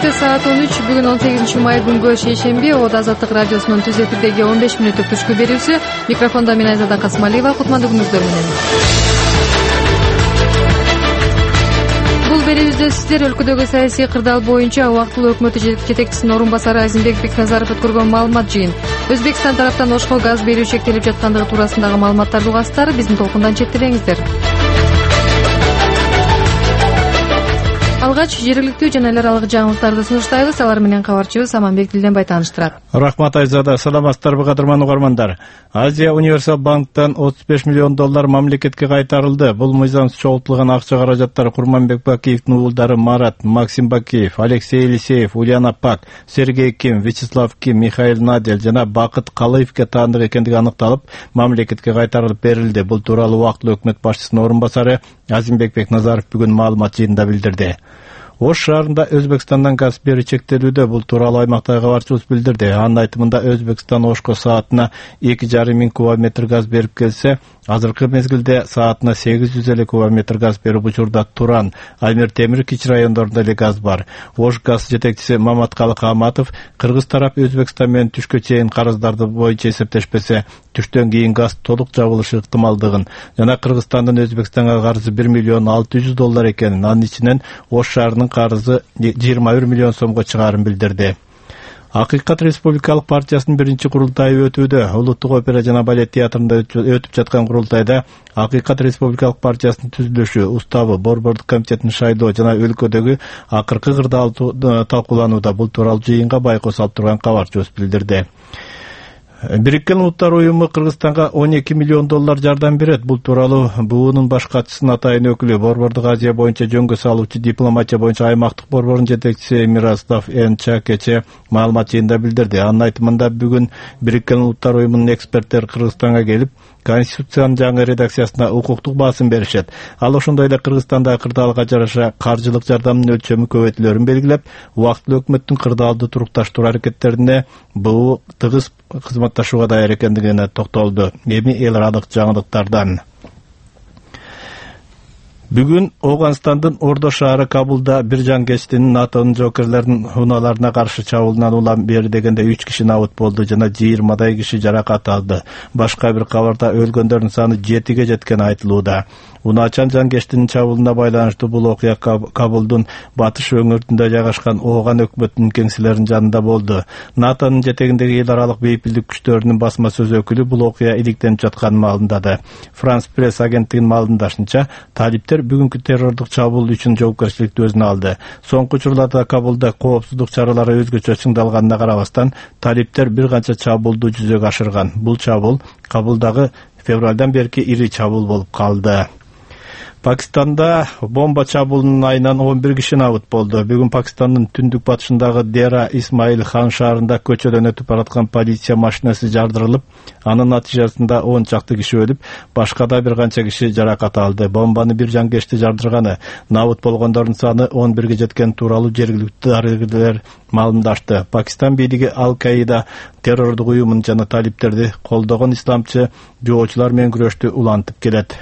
Кечки саат 13 бүгүн 18 май күнгө шейшемби Ода Азаттык радиосунун түз эфирдеги 15 мүнөттүк түшкү берүүсү. Микрофондо мен Айзада Касмалиева. Кутмандыгыңыздар менен. Бул берүүбүздө сиздер өлкөдөгү саясий кырдаал боюнча убактылуу өкмөт жетекчисинин орун басары Азимбек Бекназаров өткөргөн маалымат жыйын. Өзбекстан тараптан Ошко газ берүү чектелип жаткандыгы туурасындагы маалыматтарды угасыздар. Биздин толкундан четтебеңиздер. Алгач жергиликтүү жана эл аралык жаңылыктарды сунуштайбыз. Алар менен кабарчыбыз Аманбек Дилденбай тааныштырат. Рахмат Айзада, саламатсыздарбы кадырман угармандар. Азия Универсал банктан $35 миллион мамлекетке кайтарылды. Бул мыйзамсыз чогултулган акча каражаттары Курманбек Бакиевдин уулдары Марат, Максим Бакиев, Алексей Елисеев, Ульяна Пак, Сергей Ким, Вячеслав Ким, Михаил Надель жана Бакыт Калыевке таандык экендиги аныкталып, мамлекетке кайтарылып берилди. Бул тууралуу убактылуу өкмөт башчысынын орун басары Азимбек Бекназаров бүгүн маалымат жыйынында билдирди. Ош шаарында Өзбекстандан газ берүү чектелүүдө. Бул тууралуу аймактагы кабарчыбыз билдирди. Анын айтымында Өзбекстан Ошко саатына 2,5 миң кубометр газ берип келсе, азыркы мезгилде саатына 850 кубометр газ берип учурда Туран, Аймир Темир Кич райондорунда эле газ бар. Ош газ жетекчиси Маматкалы Каматов кыргыз тарап Өзбекстан менен түшкө чейин карыздарды боюнча эсептешпесе, түштөн кийин газ толук жабылышы ыктымалдыгын жана Кыргызстандын Өзбекстанга карызы $1,6 миллион экенин, анын ичинен Ош шаарынын карызы 21 миллион сомго чыгаарын билдирди. Акыйкат Республикалык партиясынын биринчи курултайы өтүүдө. Улуттук опера жана балет театрында өтүп жаткан курултайда Акыйкат Республикалык партиясынын түзүлүшү, уставы, борбордук комитетин шайлоо жана өлкөдөгү акыркы кырдаал талкууланууда. Бул тууралуу жыйынга байкоос алып турган кабарчыбыз билдирди. Бириккен Улуттар уюму Кыргызстанга $12 миллион жардам берет. Бул тууралуу БУнун баш катчысынын атайын өкүлү, Борбордук Азия боюнча жөнгө салуучу дипломатия боюнча аймактык борбордун жетекчиси Мирослав Энча кече маалымат жыйында билдирди. Анын айтымында бүгүн Бириккен Улуттар уюмунун эксперттери Кыргызстанга келип, Конституциянын жаңы редакциясына укуктук басым беришет. Ал ошондой эле Кыргызстандагы кырдаалга жараша каржылык жардамдын өлчөмү көбөйтүлөрүн белгилеп, убактылуу өкмөттүн кырдаалды турукташтыруу аракеттерине БУ тыгыз кызматташууга даяр экендигине токтолду. Эми эл аралык жаңылыктардан. Бүгүн Ооганстандын Ордо шаары Кабулда бир жангечтин НАТОнун жоокерлердин унааларына каршы чабуулунан улам бери дегенде 3 киши набыт болду жана 20 киши жаракат алды. Башка бир кабарда өлгөндөрдүн саны 7ге жеткени айтылууда. Унаачан жангечтин чабуулуна байланыштуу бул окуя Кабулдун батыш өңүрүндө жайгашкан Ооган өкмөтүнүн кеңселеринин жанында болду. НАТОнун жетегиндеги эл аралык бейпилдик күчтөрүнүн басма сөз өкүлү бул окуя иликтенип жатканын маалымдады. Франс пресс агенттигинин маалымдашынча, талиптер бүгүнкү террордук чабуул үчүн жоопкерчиликти өзүнө алды. Соңку учурларда Кабулда коопсуздук чаралары өзгөчө чыңдалганына карабастан, талиптер бир канча чабуулду жүзөгө ашырган. Бул чабуул Кабулдагы февралдан берки ири чабуул болуп калды. Пакистанда бомба чабуулунун айынан 11 киши набыт болду. Бүгүн Пакистандын түндүк батышындагы Дера Исмаил Хан шаарында көчөдөн өтүп бараткан полиция машинасы жардырылып, анын натыйжасында 10 чакты киши өлүп, башка да бир канча киши жаракат алды. Бомбаны бир жангечти жардырганы, набыт болгондордун саны 11ге жеткен тууралуу жергиликтүү дарыгерлер маалымдашты. Пакистан бийлиги Ал-Каида террордук уюмун жана талиптерди колдогон исламчы жоочулар менен күрөштү улантып келет.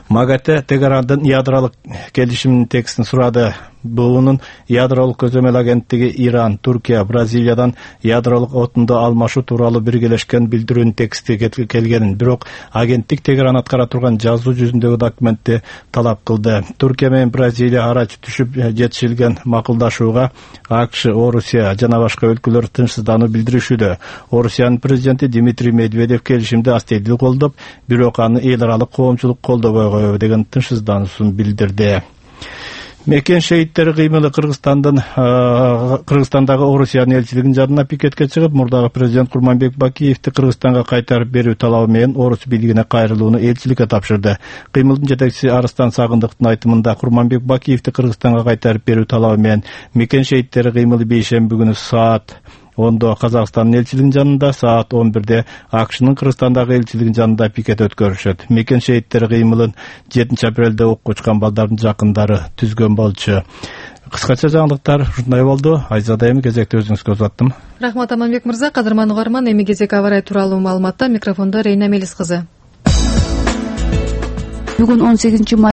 МАГАТЭ Тегерандын ядролук келишиминин текстин сурады. БУнун ядролук көзөмөл агенттиги Иран, Туркия, Бразилиядан ядролук отунду алмашуу тууралуу биргелешкен билдирүүнүн тексти келгенин, бирок агенттик Тегеран аткара турган жазуу жүзүндөгү документти талап кылды. Туркия менен Бразилия арач түшүп жетишилген макулдашууга АКШ, Орусия жана башка өлкөлөр тынчсыздануу билдиришүүдө. Орусиянын президенти Дмитрий Медведев келишимди астейдүү колдоп, бирок аны эл аралык коомчулук колдобой койбу деген тынчсыздануусун билдирди. Мекен шейиттери кыймылы Кыргызстандагы Орусиянын элчилигинин жанына пикетке чыгып, мурдагы президент Курманбек Бакиевди Кыргызстанга кайтарып берүү талабы менен Орус бийлигине кайрылууну элчиликке тапшырды. Кыймылдын жетекчиси Арыстан Сагындыктын айтымында, Курманбек Бакиевди Кыргызстанга кайтарып берүү талабы менен Мекен шейиттери кыймылы бейшемби күнү саат 10-до Казакстандын элчилигинин жанында, саат 11-де АКШнын Кыргызстандагы элчилигинин жанында пикет өткөрүшөт. Мекен шейиттери кыймылын 7-апрелде окко учкан балдардын жакындары түзгөн болчу. Кыскача жаңылыктар ушундай болду. Айзада, эми кезекти өзүңүзгө узаттым. Рахмат Аманбек мырза. Кадырман угарман, эми кезек абарай тууралуу маалыматта. Микрофондо Рейна Мелис кызы. Бүгүн 18